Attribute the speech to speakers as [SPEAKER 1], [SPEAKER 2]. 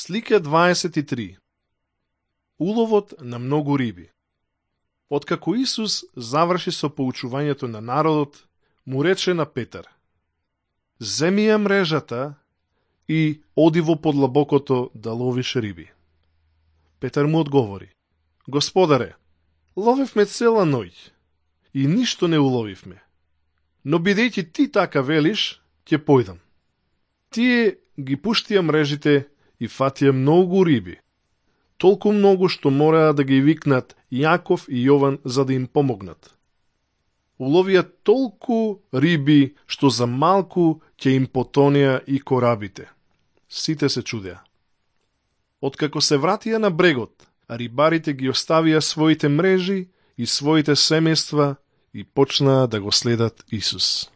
[SPEAKER 1] Слика 23. Уловот на многу риби. Откако Исус заврши со поучувањето на народот, му рече на Петар: земи ја мрежата и оди во подлабокото да ловиш риби. Петар му одговори: Господаре, ловевме цела ноќ и ништо не уловивме, но бидејќи ти така велиш, ќе појдам. Тие ги пуштија мрежите и фатија многу риби, толку многу што мораа да ги викнат Јаков и Јован за да им помогнат. Уловија толку риби што за малку ќе им потонеа и корабите. Сите се чудеа. Откако се вратија на брегот, рибарите ги оставија своите мрежи и своите семејства и почнаа да го следат Исус.